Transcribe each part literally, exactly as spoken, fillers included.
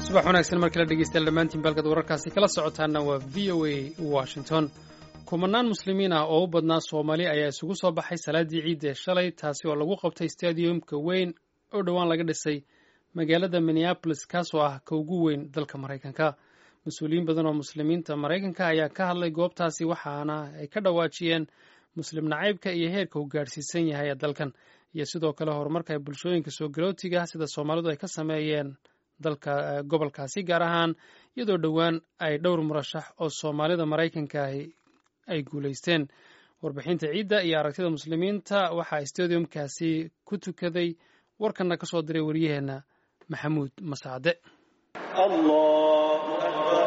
Subax wanaagsan mar kale, dhegeystayaal dhammaantiin. Balkad wararkaasi kala socotaana waa V O A Washington. Kumanaan Muslimiin ah oo u badnaa Soomaali ayaa isugu soo baxay salaadii ciidda shalay, taasi oo lagu qabtay stadiumka weyn oo dhowaan laga dhisay magaalada Minneapolis, kaasoo ah ka ugu weyn dalka Maraykanka. Mas-uuliyiin badan oo Muslimiinta Maraykanka ayaa ka hadlay goobtaasi, waxaana ay ka dhawaajiyeen Muslim nacaybka iyo heerka uu gaadhsiisan yahay ee dalkan, iyo sidoo kale horumarka ay bulshooyinka soo galootiga sida Soomaalidu ay ka sameeyeen dalka gobolkaasi, gaar ahaan iyadoo dhowaan ay dhowr murashax oo Soomaalida Maraykanka ahi ay guulaysteen. Warbixinta ciidda iyo aragtida Muslimiinta waxaa stadiumkaasi ku tukaday warkanna ka soo diray wariyaheenna Maxamuud Masaade. الله أكبر.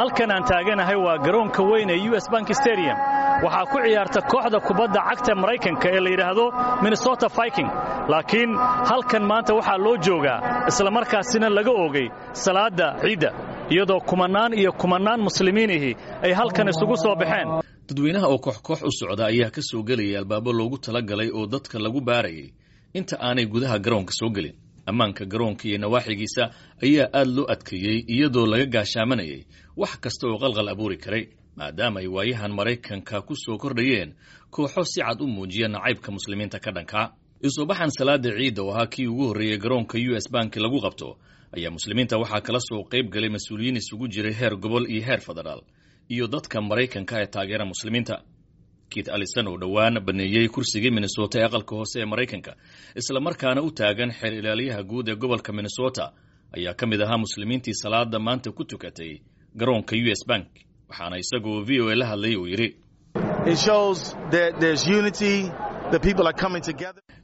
Halkan aan taaganahay waa garoonka weyn ee U S Bank Stadium. Waxaa ku ciyaarta kooxda kubadda cagta Maraykanka ee la yidhaahdo Minnesota Viking, laakiin halkan maanta waxaa loo joogaa islamarkaasina laga oogay salaadda ciidda, iyadoo kumannaan iyo kumannaan Muslimiinihi ay halkan isugu soo baxeen. Dadweynaha oo koox koox u socda ayaa ka soo gelaya albaabo loogu talagalay oo dadka lagu baarayay inta aanay gudaha garoonka soo gelin. Ammaanka garoonka iyo nawaaxigiisa ayaa aad loo adkeeyey, iyadoo laga gaashaamanayay wax kasta oo qalqal abuuri karay, maadaama ay waayahan Maraykanka ku soo kordhayeen kooxo si cad u muujiya nacaybka Muslimiinta ka dhankaa. Isoobaxan salaada ciidda oo ahaa kii ugu horreeyey garoonka U S Bank lagu qabto ayaa Muslimiinta waxaa kala soo qayb galay mas-uuliyiin isugu jiray heer gobol iyo heer federaal iyo dadka Maraykanka ee taageera Muslimiinta. Keith Ellison, oo dhowaan baneeyey kursigii Minnesota ee aqalka hoose ee Maraykanka, islamarkaana u taagan xeer ilaaliyaha guud ee gobolka Minnesota, ayaa ka mid ahaa Muslimiintii salaada maanta ku tukatay garoonka U S Bank, waxaana isagoo V O A la hadlay uu yidhi: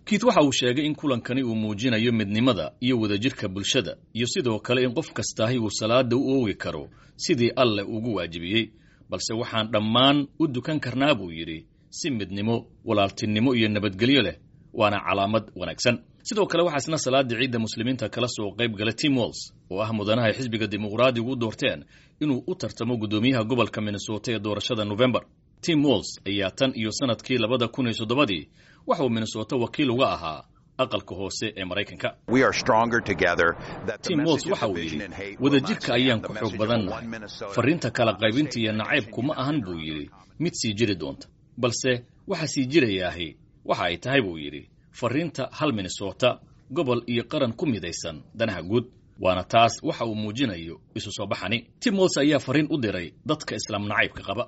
Keith waxa uu sheegay in kulankani uu muujinayo midnimada iyo wadajirka bulshada, iyo sidoo kale in qof kastaahi uu salaada u oogi karo sidii Alleh ugu waajibiyey, balse waxaan dhammaan u dukan karnaa, buu yidhi, si midnimo, walaaltinimo iyo nabadgelyo leh, waana calaamad wanaagsan. Sidoo kale waxaa isna salaada ciidda Muslimiinta kala soo qayb galay Tim Walz, oo ah mudanaha ay xisbiga Dimuqraadigu u doorteen inuu u tartamo guddoomiyaha gobolka Minnesota ee doorashada November. Tim Walz ayaa tan iyo sanadkii labada kun iyo toddobadii waxa uu Minnesota wakiil uga ahaa aqalka hoose ee Maraykanka. Tim Walz waxa uu yidhi: "Wadajirka ayaan ku xoog badannahay. Farriinta kala qaybinta iyo nacaybku ma ahan," buu yidhi, "mid sii jiri doonta, balse waxa sii jirayaahi waxa ay tahay," buu yidhi, "farriinta hal Minnesota, gobol iyo qaran ku midaysan danaha guud." Waana taas waxa uu muujinayo isu soo baxani. Tim Walz ayaa farriin u diray dadka Islaam nacaybka qaba.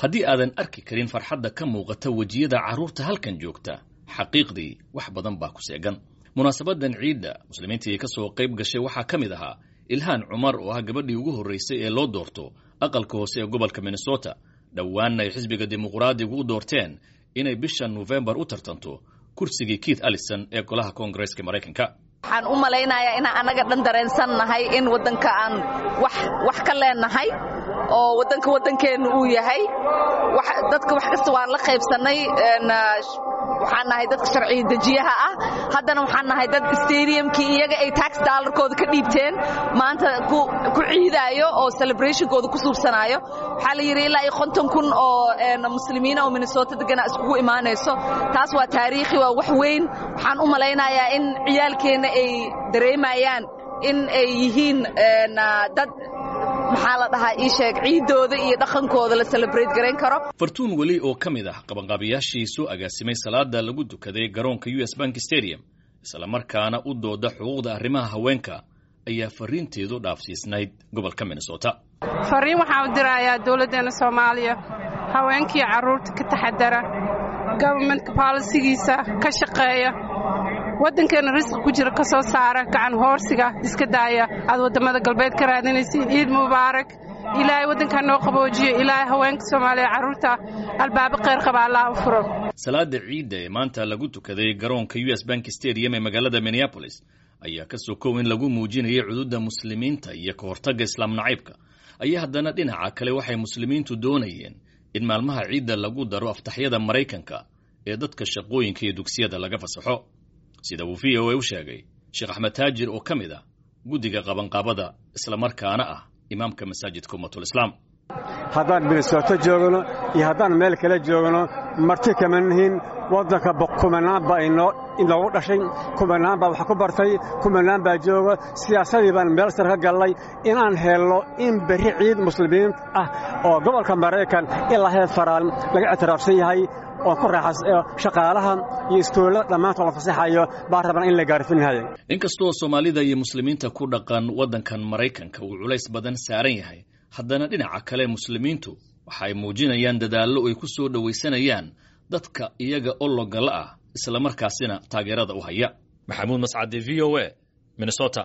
"Haddii aadan arki karin farxadda ka muuqata wejiyada carruurta halkan joogta, xaqiiqdii wax badan baa ku seegan." Munaasabadan ciidda Muslimiintii ka soo qayb gashay waxaa ka mid ahaa Ilhaan Cumar, oo ah gabadhii ugu horraysay ee loo doorto aqalka hoose ee gobolka Minnesota, dhowaanna ay xisbiga Dimuqraadigu u doorteen inay bisha Nofembar u tartanto kursigii Keith Ellison ee golaha Koongareeska Maraykanka. Waxaan u malaynayaa inaan annaga dhan dareensan nahay in waddanka aan wax wax ka leenahay oo waddanka waddankeennu uu yahay. Dadka wax kasta waan la qaybsannay. Waxaan nahay dadka sharciga dejiyaha ah. Haddana waxaan nahay dad stadiumkii iyaga ay tax dollarkooda ka dhiibteen maanta ku ciidaayo oo celebrationkooda ku suubsanaayo. Waxaa la yidhi ilaa iyo konton kun oo Muslimiina oo Minnesota degana iskugu imaanayso. Taas waa taariikhi, waa wax weyn. Waxaan u malaynayaa in ciyaalkeenna ay dareemayaan in ay yihiin dad, maxaa la dhahaa, ii sheeg, ciiddooda iyo dhaqankooda la celebrate garayn karo. Fartuun Weli, oo ka mid ah qabanqaabiyaashii soo agaasimay salaada lagu dukaday garoonka U S Bank Stadium, islamarkaana u dooda xuquuqda arrimaha haweenka, ayaa fariinteedu dhaafsiisnayd gobolka Minnesota. Fariin waxaan u dirayaa dowladdeenna Soomaaliya: haweenkii carruurta ka taxadara, governmentka policygiisa ka shaqeeya, waddankeenna risqi ku jira ka soo saara, gacan hoorsiga iska daaya aad waddamada galbeed ka raadinaysiin. Ciid mubaarak. Ilaahay waddankaa noo qaboojiyo. Ilaahay haweenka Soomaaliya, carruurta albaabo khayr qaba Allah u furo. Salaada ciidda ee maanta lagu tukaday garoonka U S Bank Stadium ee magaalada Minneapolis ayaa ka sokow in lagu muujinayay cududa Muslimiinta iyo ka hortagga Islaam nacaybka, ayaa haddana dhinaca kale waxay Muslimiintu doonayeen in maalmaha ciidda lagu daro aftaxyada Maraykanka ee dadka shaqooyinka iyo dugsiyada laga fasaxo, sida uu V O A u sheegay Sheekh Axmed Taajir, oo ka mid ah guddiga qabanqaabada, islamarkaana ah imaamka masaajidka Ummatul Islaam. Haddaan Minnesota joogno iyo haddaan meel kale joogno, marti kama nihin waddanka. Kumanaan baa inoogu dhashay, kumanaan baa wax ku bartay, kumanaan baa jooga. Siyaasadii baan meel sar ka gallay inaan helno in berri ciid muslimiin ah oo gobolka Maraykan ilaa heer faraal laga ictiraafsan yahay oo ku raaxas shaqaalaha iyo iskuullada dhammaantood la fasaxayo baan rabnaa in la gaarfinhayo. Inkastoo Soomaalida iyo muslimiinta ku dhaqan waddankan Maraykanka uu culays badan saaran yahay, haddana dhinaca kale muslimiintu waxa ay muujinayaan dadaallo ay ku soo dhowaysanayaan dadka iyaga ologala ah, islamarkaasina taageerada u haya. Maxamuud Mascade, V O A, Minnesota.